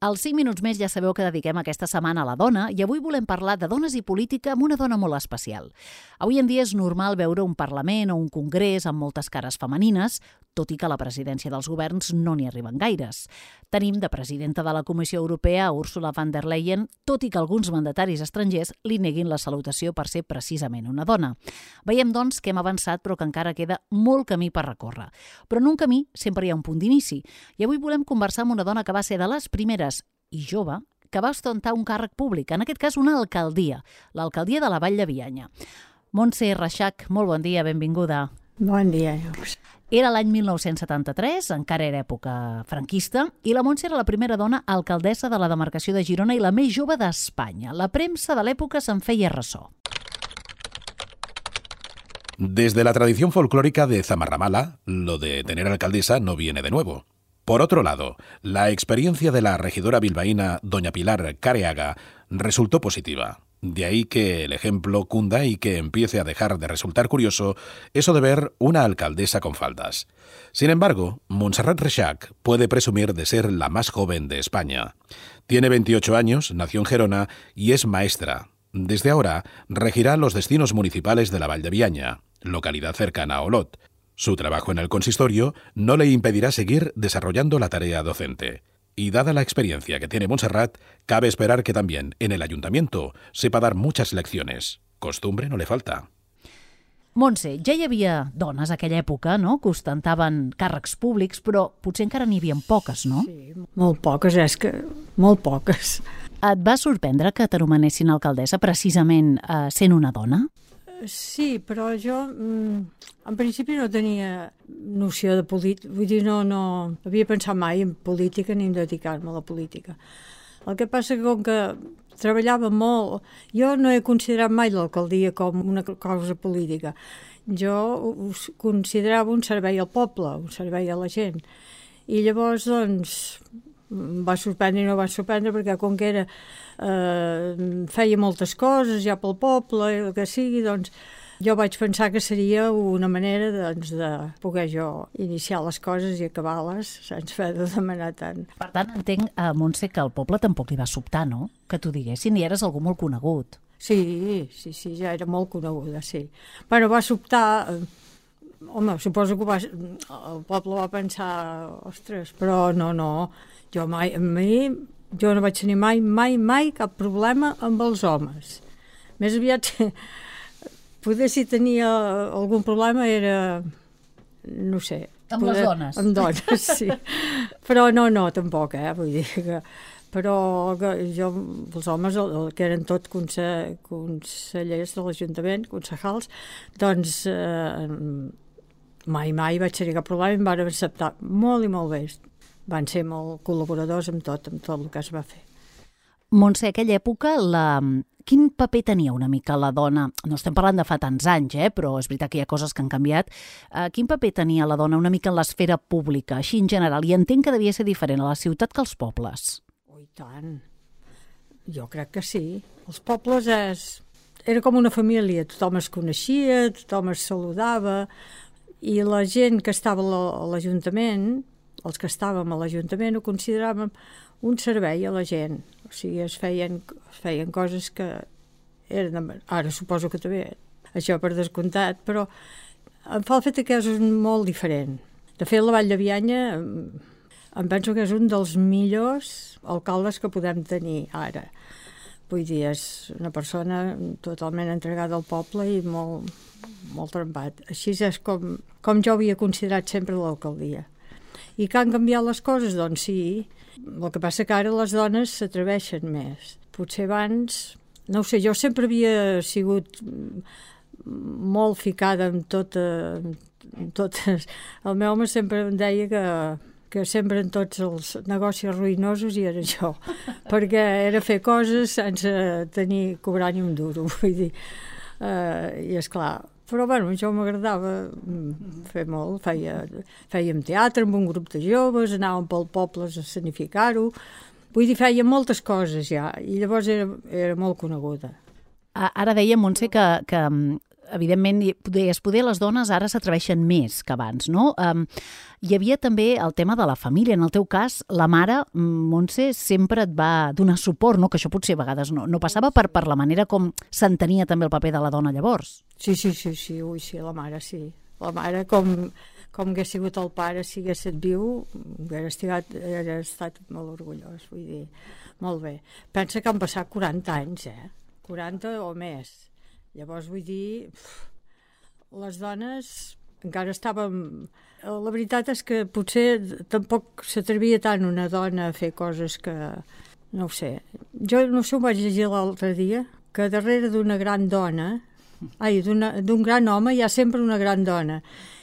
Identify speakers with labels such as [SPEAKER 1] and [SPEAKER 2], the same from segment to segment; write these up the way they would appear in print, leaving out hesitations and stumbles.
[SPEAKER 1] Als 5 minuts més ja sabeu que dediquem aquesta setmana a la dona i avui volem parlar de dones i política amb una dona molt especial. Avui en dia és normal veure un Parlament o un Congrés amb moltes cares femenines, tot i que a la presidència dels governs no n'hi arriben gaires. Tenim de presidenta de la Comissió Europea Ursula von der Leyen, tot i que alguns mandataris estrangers li neguin la salutació per ser precisament una dona. Veiem, doncs, que hem avançat però que encara queda molt camí per recórrer. Però en un camí sempre hi ha un punt d'inici i avui volem conversar amb una dona que va ser de les primeres i jove, que va ostentar un càrrec públic, en aquest cas una alcaldia, l'alcaldia de la Vall de Bianya. Montse Reixach, molt bon dia, benvinguda.
[SPEAKER 2] Bon dia, Lluís.
[SPEAKER 1] Era l'any 1973, encara era època franquista, i la Montse era la primera dona alcaldessa de la demarcació de Girona i la més jove d'Espanya. La premsa de l'època se'n feia ressò.
[SPEAKER 3] Desde la tradición folclórica de Zamarramala, lo de tener alcaldesa no viene de nuevo. Por otro lado, la experiencia de la regidora bilbaína doña Pilar Careaga resultó positiva. De ahí que el ejemplo cunda y que empiece a dejar de resultar curioso eso de ver una alcaldesa con faldas. Sin embargo, Montserrat Reixach puede presumir de ser la más joven de España. Tiene 28 años, nació en Gerona y es maestra. Desde ahora regirá los destinos municipales de la Vall de Bianya, localidad cercana a Olot. Su trabajo en el consistorio no le impedirá seguir desarrollando la tarea docente. Y dada la experiencia que tiene Montserrat, cabe esperar que también en el ayuntamiento sepa dar muchas lecciones. Costumbre no le falta.
[SPEAKER 1] Montse, ja hi havia dones a aquella època, no?, que ostentaven càrrecs públics, però potser encara n'hi havia poques, no?
[SPEAKER 2] Sí, molt poques, és que molt poques.
[SPEAKER 1] Et va sorprendre que t'anomenessin alcaldessa precisament sent una dona?
[SPEAKER 2] Sí, però jo en principi no tenia noció de política, vull dir, no havia pensat mai en política ni en dedicar-me a la política. El que passa que com que treballava molt, jo no he considerat mai l'alcaldia com una cosa política. Jo ho considerava un servei al poble, un servei a la gent. I llavors, doncs, em va sorprendre i no va sorprendre perquè com que era feia moltes coses ja pel poble, el que sigui, doncs jo vaig pensar que seria una manera doncs, de poder jo iniciar les coses i acabar-les sense haver de demanar tant.
[SPEAKER 1] Per tant, entenc, Montse, que al poble tampoc li va sobtar, no?, que t'ho diguessin, i eres algú molt conegut.
[SPEAKER 2] Sí, ja era molt coneguda, sí. Però va sobtar, home, suposo que el poble va pensar, ostres, però no, jo no vaig tenir mai cap problema amb els homes. Més aviat, poder si tenia algun problema era, no sé...
[SPEAKER 1] Amb les dones.
[SPEAKER 2] Amb dones, sí. Però no, tampoc, vull dir que... Però jo, els homes, que eren tots consellers de l'Ajuntament, concejals, doncs mai vaig tenir cap problema i em van acceptar molt i molt bé. Van ser molt col·laboradors amb tot el que es va fer.
[SPEAKER 1] Montse, aquella època, quin paper tenia una mica la dona? No estem parlant de fa tants anys, però és veritat que hi ha coses que han canviat. Quin paper tenia la dona una mica en l'esfera pública, així en general? I entenc que devia ser diferent a la ciutat que als pobles.
[SPEAKER 2] Oh, i tant. Jo crec que sí. Els pobles era com una família, tothom es coneixia, tothom es saludava, i la gent que estava a l'Ajuntament, els que estàvem a l'Ajuntament, ho consideràvem un servei a la gent. O sigui, es feien coses que eren... Ara suposo que també, això per descomptat, però em fa el fet que és molt diferent. De fet, la Vall de Bianya em penso que és un dels millors alcaldes que podem tenir ara. Vull dir, és una persona totalment entregada al poble i molt trempat. Així és com jo havia considerat sempre l'alcaldia. I que han canviat les coses? Doncs sí. El que passa que ara les dones s'atreveixen més. Potser abans, no ho sé, jo sempre havia sigut molt ficada en totes. El meu home sempre em deia que sempre en tots els negocis ruïnosos hi era jo, perquè era fer coses sense cobrar ni un duro, vull dir. I esclar, però bueno, jo m'agradava fer molt, fèiem teatre amb un grup de joves, anàvem pel poble a escenificar-ho, vull dir, fèiem moltes coses ja, i llavors era molt coneguda.
[SPEAKER 1] Ara deia, Montse, que evidentment, poder les dones ara s'atreveixen més que abans, no? Hi havia també el tema de la família. En el teu cas, la mare, Montse, sempre et va donar suport, no? Que això potser a vegades no passava per la manera com s'entenia també el paper de la dona llavors.
[SPEAKER 2] Sí, la mare sí. La mare, com hagués sigut el pare, si hagués estat viu, hauria estat molt orgullós, vull dir, molt bé. Pensa que han passat 40 anys, 40 o més. Llavors, vull dir, les dones encara estàvem... La veritat és que potser tampoc s'atrevia tant una dona a fer coses que... No ho sé. Jo no sé, ho vaig llegir l'altre dia, que darrere d'una gran dona... d'un gran home hi ha sempre una gran dona.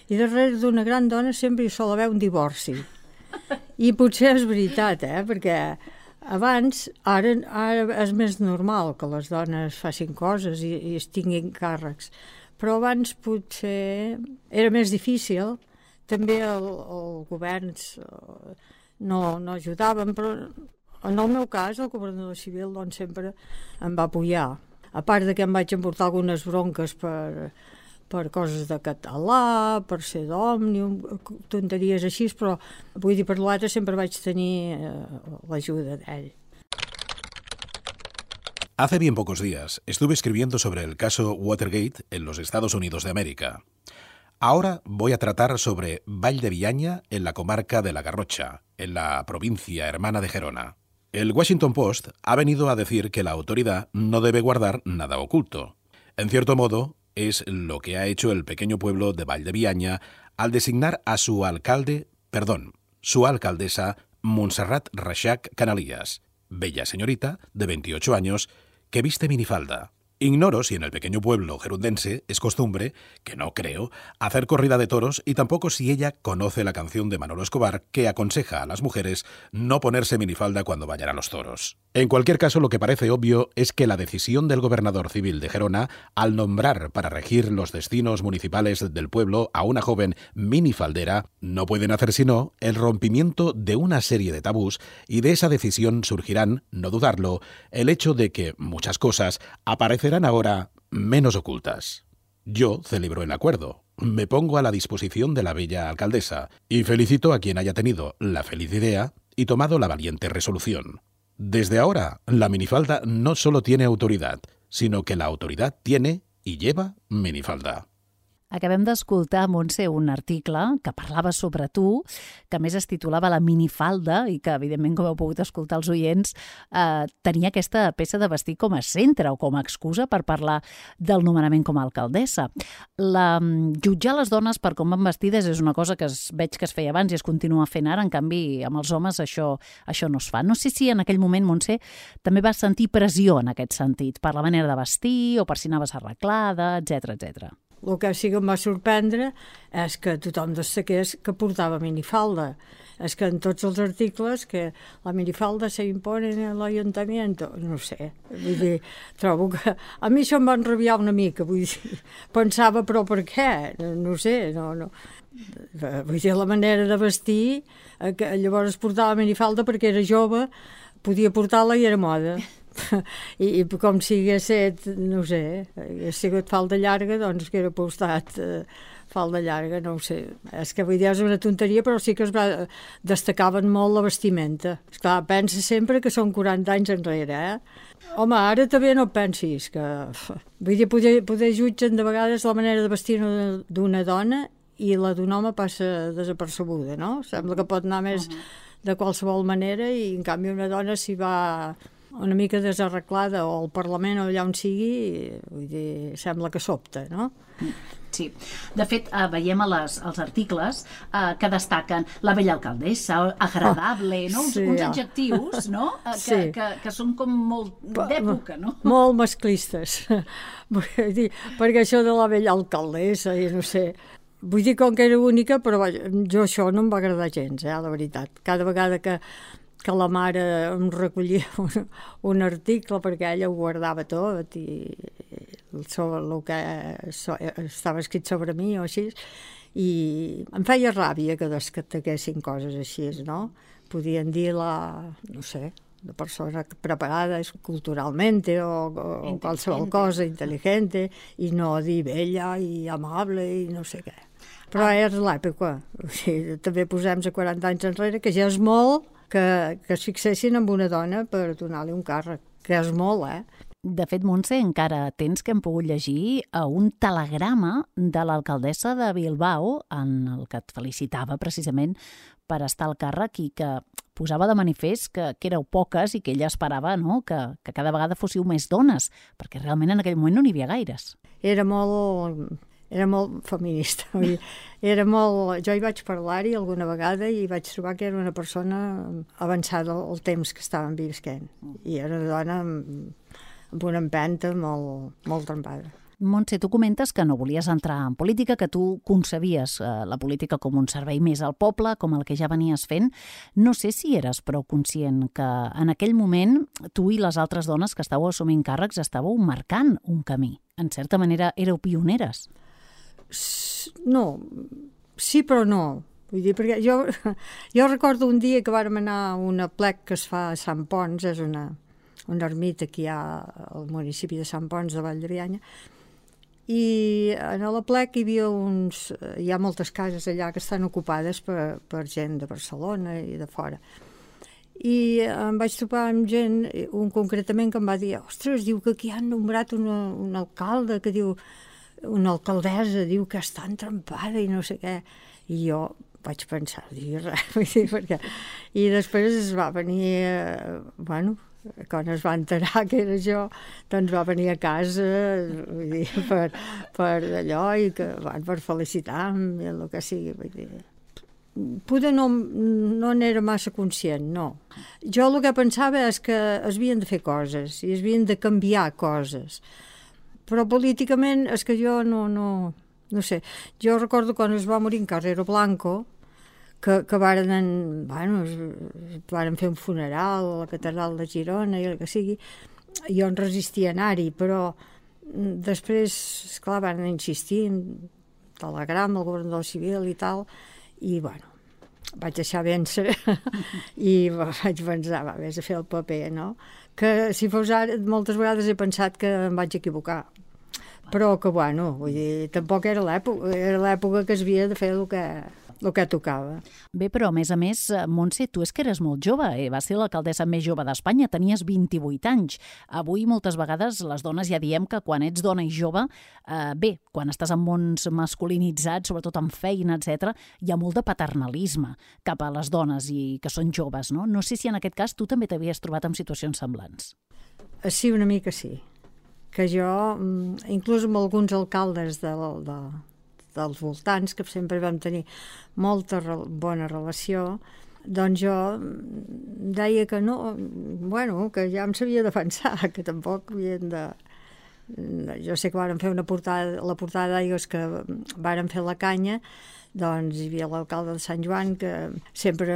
[SPEAKER 2] I darrere d'una gran dona sempre hi sol haver un divorci. I potser és veritat, perquè... Abans, ara és més normal que les dones facin coses i es tinguin càrrecs, però abans potser era més difícil. També els governs no ajudaven, però en el meu cas el governador civil doncs, sempre em va apoyar. A part de que em vaig emportar algunes bronques per coses de català, per ser d'Òmnium, tonteries així, però vull dir, per l'altre sempre vaig tenir l'ajuda d'ell.
[SPEAKER 3] Hace bien pocos días estuve escribiendo sobre el caso Watergate en los Estados Unidos de América. Ahora voy a tratar sobre Vall de Bianya en la comarca de La Garrocha, en la provincia hermana de Gerona. El Washington Post ha venido a decir que la autoridad no debe guardar nada oculto. En cierto modo, es lo que ha hecho el pequeño pueblo de Vall de Bianya al designar a su alcaldesa Montserrat Reixach Canalias, bella señorita de 28 años que viste minifalda. Ignoro si en el pequeño pueblo gerundense es costumbre, que no creo, hacer corrida de toros y tampoco si ella conoce la canción de Manolo Escobar que aconseja a las mujeres no ponerse minifalda cuando vayan a los toros. En cualquier caso, lo que parece obvio es que la decisión del gobernador civil de Gerona al nombrar para regir los destinos municipales del pueblo a una joven minifaldera no pueden hacer sino el rompimiento de una serie de tabús y de esa decisión surgirán, no dudarlo, el hecho de que muchas cosas aparecerán ahora menos ocultas. Yo celebro el acuerdo, me pongo a la disposición de la bella alcaldesa y felicito a quien haya tenido la feliz idea y tomado la valiente resolución. Desde ahora, la minifalda no solo tiene autoridad, sino que la autoridad tiene y lleva minifalda.
[SPEAKER 1] Acabem d'escoltar, Montse, un article que parlava sobre tu, que a més es titulava La minifalda i que, evidentment, com heu pogut escoltar els oients, tenia aquesta peça de vestir com a centre o com a excusa per parlar del nomenament com a alcaldessa. Jutjar les dones per com van vestides és una cosa que veig que es feia abans i es continua fent ara, en canvi, amb els homes això no es fa. No sé si en aquell moment, Montse, també vas sentir pressió en aquest sentit, per la manera de vestir o per si anaves arreglada, etc etc.
[SPEAKER 2] El que sí que em va sorprendre és que tothom destaqués que portava minifalda. És que en tots els articles que la minifalda se impone en l'Ajuntament, no sé, vull dir, trobo que... A mi això em va enrabiar una mica, vull dir, pensava, però per què? No sé, no. Vull dir, la manera de vestir, que llavors portava minifalda perquè era jove, podia portar-la i era moda. I com si hagués estat, no sé, hagués sigut falda llarga, doncs que era postat falda llarga, no ho sé. És que vull dir, és una tonteria, però sí que destacaven molt la vestimenta. Esclar, pensa sempre que són 40 anys enrere, Home, ara també no pensis que... Vull dir, poder jutgen de vegades la manera de vestir d'una dona i la d'un home passa desapercebuda, no? Sembla que pot anar més de qualsevol manera i, en canvi, una dona s'hi va... una mica desarreglada o al Parlament o allà on sigui, vull dir, sembla que sobta, no?
[SPEAKER 1] Sí. De fet, veiem als articles que destaquen la bella alcaldessa, agradable, no? Uns adjectius, no? Que són com molt d'època, no?
[SPEAKER 2] Molt masclistes. Vull dir, perquè això de la bella alcaldessa, i no sé... Vull dir, com que era única, però jo això no em va agradar gens, la veritat. Cada vegada que la mare em recollia un article perquè ella ho guardava tot i sobre el que estava escrit sobre mi o així, i em feia ràbia que destaquessin coses així, no? Podien dir no sé, una persona preparada culturalmente o qualsevol cosa, intel·ligente, i no dir bella i amable i no sé què. Però és l'època. O sigui, també posem a 40 anys enrere, que ja és molt que es fixessin en una dona per donar-li un càrrec, que és molt,
[SPEAKER 1] De fet, Montse, encara tens que hem pogut llegir un telegrama de l'alcaldessa de Bilbao en el que et felicitava precisament per estar al càrrec i que posava de manifest que éreu poques i que ella esperava, no?, que cada vegada fóssiu més dones, perquè realment en aquell moment no n'hi havia gaires.
[SPEAKER 2] Era molt feminista. Jo hi vaig parlar-hi alguna vegada i vaig trobar que era una persona avançada al temps que estàvem visquent. I era una dona amb una empenta molt trempada.
[SPEAKER 1] Montse, tu comentes que no volies entrar en política, que tu concebies la política com un servei més al poble, com el que ja venies fent. No sé si eres prou conscient que en aquell moment tu i les altres dones que estàveu assumint càrrecs estàveu marcant un camí. En certa manera éreu pioneres.
[SPEAKER 2] No, sí però no. Vull dir, perquè jo recordo un dia que vàrem anar a un aplec que es fa a Sant Ponç, és una ermita que hi ha al municipi de Sant Ponç de Vall de Bianya, i en l'aplec hi ha moltes cases allà que estan ocupades per gent de Barcelona i de fora. I em vaig topar amb gent, un concretament, que em va dir: ostres, diu que aquí han nombrat un alcalde, que diu, una alcaldessa, diu que està entrampada i no sé què. I jo vaig pensar, perquè... I després es va venir, quan es va enterar que era jo, doncs va venir a casa, vull dir, per allò, i que van per felicitar-me, el que sigui, vull dir. Poder no n'era massa conscient, no. Jo el que pensava és que es havien de fer coses i es havien de canviar coses. Però políticament és que jo no sé. Jo recordo quan es va morir en Carrero Blanco, que varen fer un funeral a la catedral de Girona i el que sigui. Jo em resistia a anar-hi, però després, esclar, van insistir en telegrama al governador civil i tal, i vaig deixar vèncer i vaig pensar, vés a fer el paper, no? Que si fos ara, moltes vegades he pensat que em vaig equivocar, però que vull dir, tampoc era l'època que es havia de fer el que tocava.
[SPEAKER 1] Bé, però a més, Montse, tu és que eres molt jove, vas ser l'alcaldessa més jove d'Espanya, tenies 28 anys. Avui moltes vegades les dones ja diem que quan ets dona i jove, quan estàs en mons masculinitzats, sobretot en feina, etc., hi ha molt de paternalisme cap a les dones i que són joves, no? No sé si en aquest cas tu també t'havies trobat en situacions semblants.
[SPEAKER 2] Sí, una mica sí. Que jo, inclús amb alguns alcaldes dels voltants, que sempre vam tenir molta bona relació, doncs jo deia que no, que ja em sabia defensar, que tampoc havien de... Jo sé que vàrem fer la portada d'Aigües, que vàrem fer la canya, doncs hi havia l'alcalde de Sant Joan que sempre,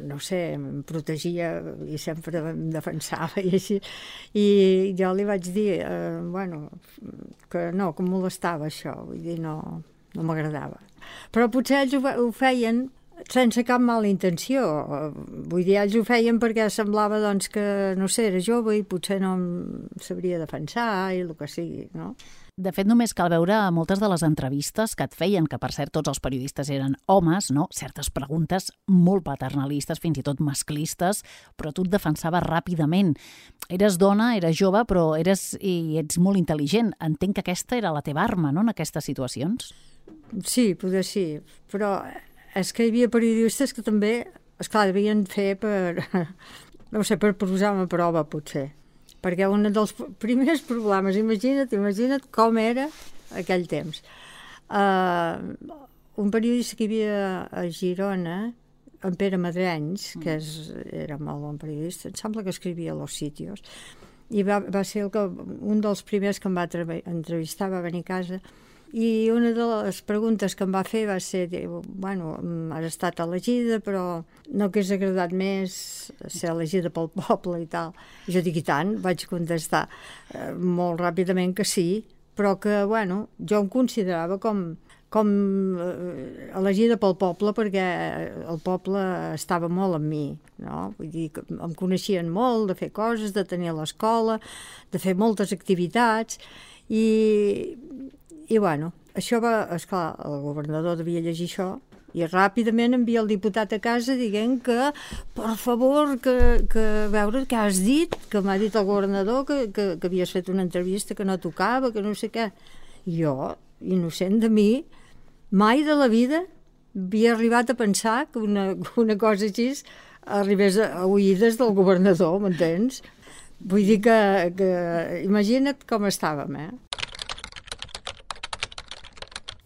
[SPEAKER 2] no sé, em protegia i sempre em defensava i així. I jo li vaig dir, que no, que em molestava això, vull dir, no m'agradava. Però potser ells ho feien sense cap mala intenció. Vull dir, ells ho feien perquè semblava doncs, que, no sé, era jove i potser no em sabria defensar i el que sigui, no?
[SPEAKER 1] De fet, només cal veure moltes de les entrevistes que et feien, que per cert tots els periodistes eren homes, no? Certes preguntes molt paternalistes, fins i tot masclistes, però tu et defensaves ràpidament. Eres dona, eres jove, però ets molt intel·ligent. Entenc que aquesta era la teva arma, no?, en aquestes situacions.
[SPEAKER 2] Sí, potser sí, però és que hi havia periodistes que també, esclar, devien fer per posar-me a prova, potser. Perquè un dels primers problemes, imagina't com era aquell temps. Un periodista que hi havia a Girona, en Pere Madrenys, que era molt bon periodista, em sembla que escrivia a Los Sitios, i va ser un dels primers que em va entrevistar, va venir a casa, i una de les preguntes que em va fer va ser, has estat elegida, però no hagués agradat més ser elegida pel poble i tal. I jo dic, i tant, vaig contestar molt ràpidament que sí, però que, jo em considerava com com elegida pel poble, perquè el poble estava molt amb mi, no? Vull dir que em coneixien molt de fer coses, de tenir a l'escola, de fer moltes activitats, i bueno, això va, esclar, el governador devia llegir això, i ràpidament envia el diputat a casa dient que, per favor, que veure què has dit, que m'ha dit el governador que havies fet una entrevista que no tocava, que no sé què. Jo, innocent de mi, mai de la vida havia arribat a pensar que una cosa així arribés a oïdes del governador, m'entens? Vull dir que imagina't com estàvem,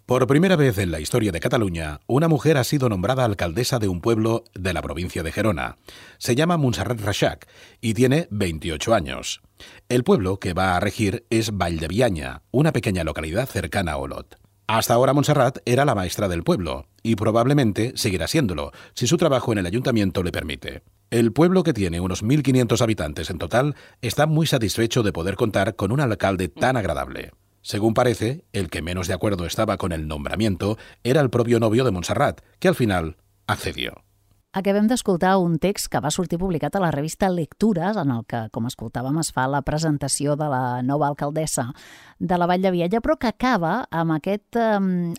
[SPEAKER 3] Por primera vez en la historia de Cataluña, una mujer ha sido nombrada alcaldesa de un pueblo de la provincia de Gerona. Se llama Montserrat Reixac y tiene 28 años. El pueblo que va a regir es Vall de Bianya, una pequeña localidad cercana a Olot. Hasta ahora Montserrat era la maestra del pueblo y probablemente seguirá siéndolo, si su trabajo en el ayuntamiento le permite. El pueblo, que tiene unos 1.500 habitantes en total, está muy satisfecho de poder contar con un alcalde tan agradable. Según parece, el que menos de acuerdo estaba con el nombramiento era el propio novio de Montserrat, que al final accedió.
[SPEAKER 1] Acabem d'escoltar un text que va sortir publicat a la revista Lectures, en el que, com escoltàvem, es fa la presentació de la nova alcaldessa de la Vall de Bianya, però que acaba amb aquest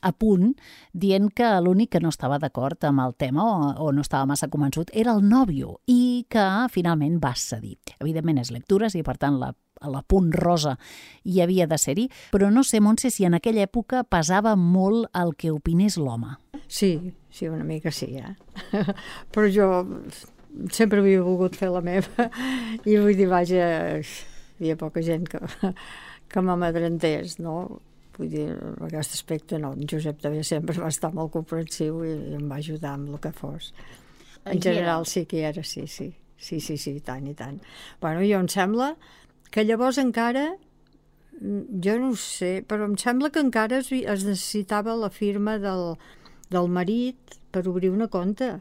[SPEAKER 1] apunt dient que l'únic que no estava d'acord amb el tema o no estava massa convençut era el nòvio i que finalment va cedir. Evidentment és Lectures i, per tant, la punt rosa hi havia de ser-hi, però no sé, Montse, si en aquella època pesava molt el que opinés l'home.
[SPEAKER 2] Sí, una mica sí, Però jo sempre havia volgut fer la meva i vull dir, vaja, hi havia poca gent que m'amadrentés, no? Vull dir, en aquest aspecte no. En Josep també sempre va estar molt comprensiu i em va ajudar amb el que fos. En general sí que hi era, sí, tant i tant. Bueno, jo em sembla que llavors encara, jo no ho sé, però em sembla que encara es necessitava la firma del marit per obrir una compte.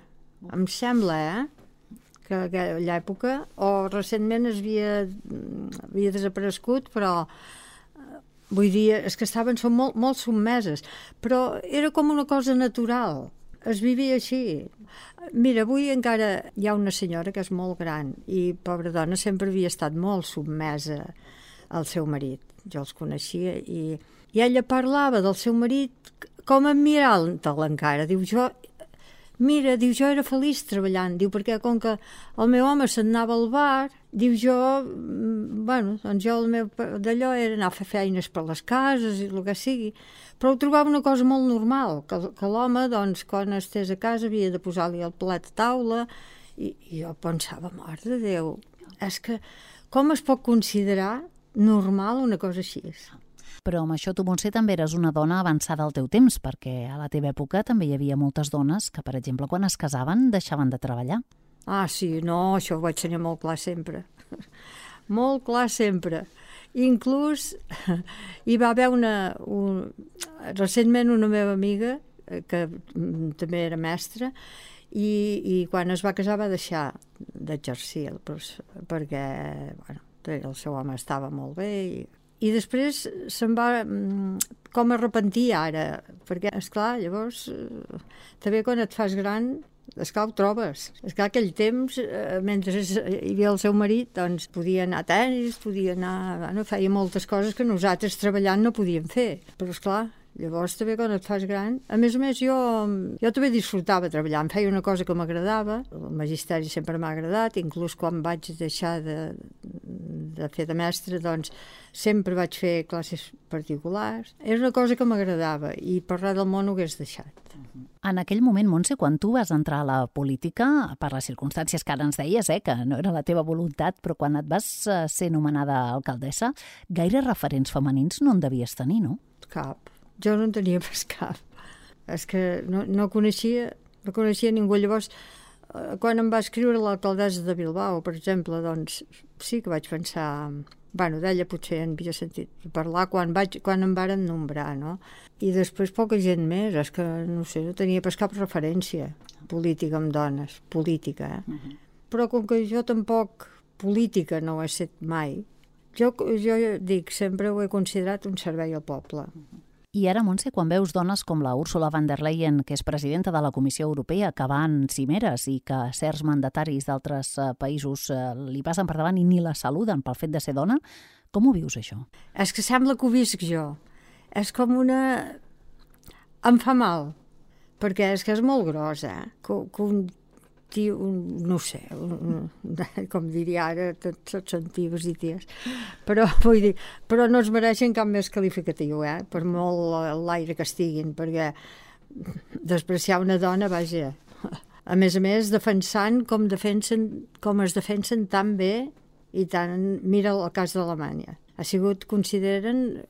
[SPEAKER 2] Em sembla, que a aquella època, o recentment havia desaparegut, però vull dir, és que són molt sotmeses, però era com una cosa natural, es vivia així. Mira, avui encara hi ha una senyora que és molt gran i, pobra dona, sempre havia estat molt sotmesa al seu marit. Jo els coneixia i ella parlava del seu marit com admirant-te'l encara. Diu, jo era feliç treballant, diu, perquè com que el meu home se'n anava al bar, diu, doncs jo el meu d'allò era anar a fer feines per les cases i el que sigui, però ho trobava una cosa molt normal, que l'home, doncs, quan estés a casa havia de posar-li el plat a taula, i jo pensava, mare de Déu, és que com es pot considerar normal una cosa així?
[SPEAKER 1] Però amb això tu, Montse, també eres una dona avançada al teu temps, perquè a la teva època també hi havia moltes dones que, per exemple, quan es casaven deixaven de treballar.
[SPEAKER 2] Ah, sí, no, això ho vaig tenir molt clar sempre. Molt clar sempre. Inclús hi va haver recentment una meva amiga, que també era mestra, i quan es va casar va deixar d'exercir, perquè el seu home estava molt bé i després se'n va com arrepentir ara, perquè, esclar, llavors també quan et fas gran, esclar, ho trobes. Esclar, aquell temps, mentre hi havia el seu marit, doncs podia anar a tenis, feia moltes coses que nosaltres treballant no podíem fer, però esclar, llavors també quan et fas gran, a més, jo també disfrutava treballar, em feia una cosa que m'agradava, el magisteri sempre m'ha agradat, inclús quan vaig deixar de fer de mestre, doncs sempre vaig fer classes particulars, era una cosa que m'agradava i per res del món ho hagués deixat.
[SPEAKER 1] En aquell moment, Montse, quan tu vas entrar a la política, per les circumstàncies que ara ens deies, que no era la teva voluntat, però quan et vas ser nomenada alcaldessa, gaire referents femenins no en devies tenir, no?
[SPEAKER 2] Cap. Jo no en tenia pas cap. És que no coneixia ningú. Llavors, quan em va escriure l'alcaldessa de Bilbao, per exemple, doncs sí que vaig pensar... d'ella potser en havia sentit parlar quan em varen nombrar, no? I després poca gent més, és que, no sé, no tenia pas cap referència política amb dones, política, Però com que jo tampoc política no ho he set mai, jo dic, sempre ho he considerat un servei al poble.
[SPEAKER 1] I ara, Montse, quan veus dones com la Ursula von der Leyen, que és presidenta de la Comissió Europea, que va en cimeres i que certs mandataris d'altres països li passen per davant i ni la saluden pel fet de ser dona, com ho vius, això?
[SPEAKER 2] És que sembla que ho visc jo. És com una... Em fa mal, perquè és que és molt gros, que un tio, no sé, com diria ara, tots són tios i ties, però vull dir, però no es mereixen cap més qualificatiu, per molt l'aire que estiguin, perquè despreciar una dona, vaja, a més, defensant com es defensen tan bé i tant, mira el cas d'Alemanya. Ha sigut, consideren,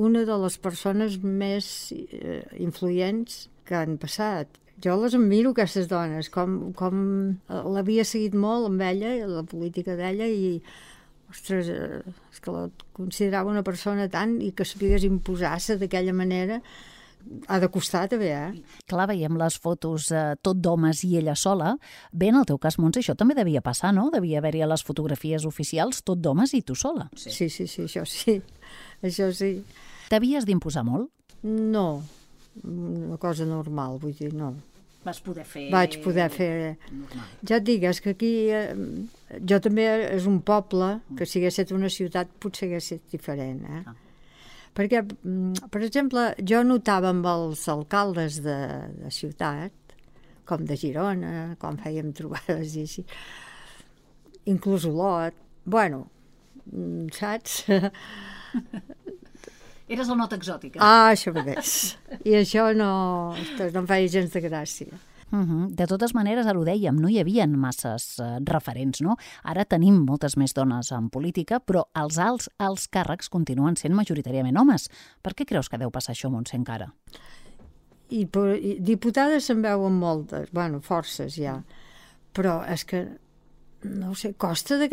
[SPEAKER 2] una de les persones més influents que han passat. Jo les admiro, aquestes dones, com l'havia seguit molt amb ella, la política d'ella, i, ostres, és que la considerava una persona tant i que sapigués imposar-se d'aquella manera, ha de costar també,
[SPEAKER 1] Clar, veiem les fotos tot d'homes i ella sola. Bé, en el teu cas, Montse, això també devia passar, no? Devia haver-hi a les fotografies oficials tot d'homes i tu sola.
[SPEAKER 2] Sí, això sí. Això sí.
[SPEAKER 1] T'havies d'imposar molt?
[SPEAKER 2] No, una cosa normal, vull dir, no.
[SPEAKER 1] Vaig poder fer...
[SPEAKER 2] Normal. Ja et dic, és que aquí jo també és un poble que si hagués estat una ciutat potser hagués estat diferent, Perquè, per exemple, jo notava amb els alcaldes de ciutat, com de Girona, quan fèiem trobades i així, inclús Olot, bueno, saps?
[SPEAKER 1] Eres la nota exòtica.
[SPEAKER 2] Això mateix. I això no em feia gens de gràcia.
[SPEAKER 1] De totes maneres, ara ho dèiem, no hi havia masses referents, no? Ara tenim moltes més dones en política, però els alts càrrecs continuen sent majoritàriament homes. Per què creus que deu passar això, Montse, encara?
[SPEAKER 2] I diputades se'n veuen moltes, forces ja, però és que, no sé, costa de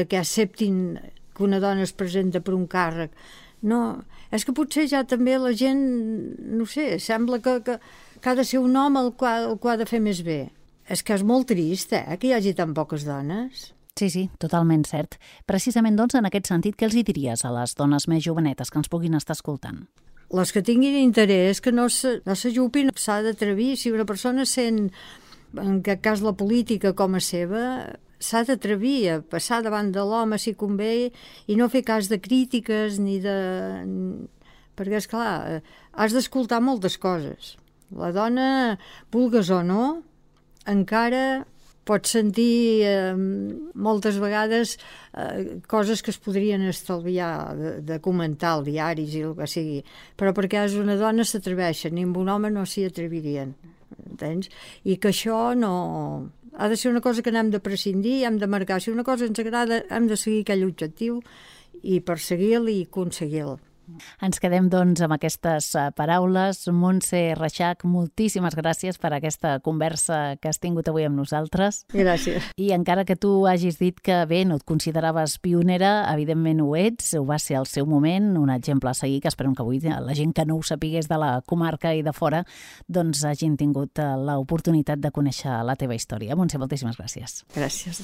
[SPEAKER 2] que acceptin que una dona es presenta per un càrrec. No, és que potser ja també la gent, no sé, sembla que ha de ser un home el que ha de fer més bé. És que és molt trist, que hi hagi tan poques dones.
[SPEAKER 1] Sí, totalment cert. Precisament, doncs, en aquest sentit, què els hi diries a les dones més jovenetes que ens puguin estar escoltant?
[SPEAKER 2] Les que tinguin interès, que no s'ajupin, s'ha d'atrevir. Si una persona sent, en aquest cas, la política com a seva, s'ha d'atrevir a passar davant de l'home si convé i no fer cas de crítiques ni de... Perquè, esclar, has d'escoltar moltes coses. La dona, vulgues o no, encara pots sentir moltes vegades coses que es podrien estalviar de comentar als diaris i el que sigui, però perquè és una dona s'atreveixen i amb un home no s'hi atrevirien, entens? I que això no... Ha de ser una cosa que n'hem de prescindir, hem de marcar. Si una cosa ens agrada, hem de seguir aquell objectiu i perseguir-lo i aconseguir-lo.
[SPEAKER 1] Ens quedem, doncs, amb aquestes paraules. Montse Reixach, moltíssimes gràcies per aquesta conversa que has tingut avui amb nosaltres.
[SPEAKER 2] Gràcies.
[SPEAKER 1] I encara que tu hagis dit que bé, no et consideraves pionera, evidentment ho ets, ho va ser al seu moment, un exemple a seguir, que esperem que avui la gent que no ho sapigués de la comarca i de fora, doncs hagin tingut l'oportunitat de conèixer la teva història. Montse, moltíssimes gràcies.
[SPEAKER 2] Gràcies.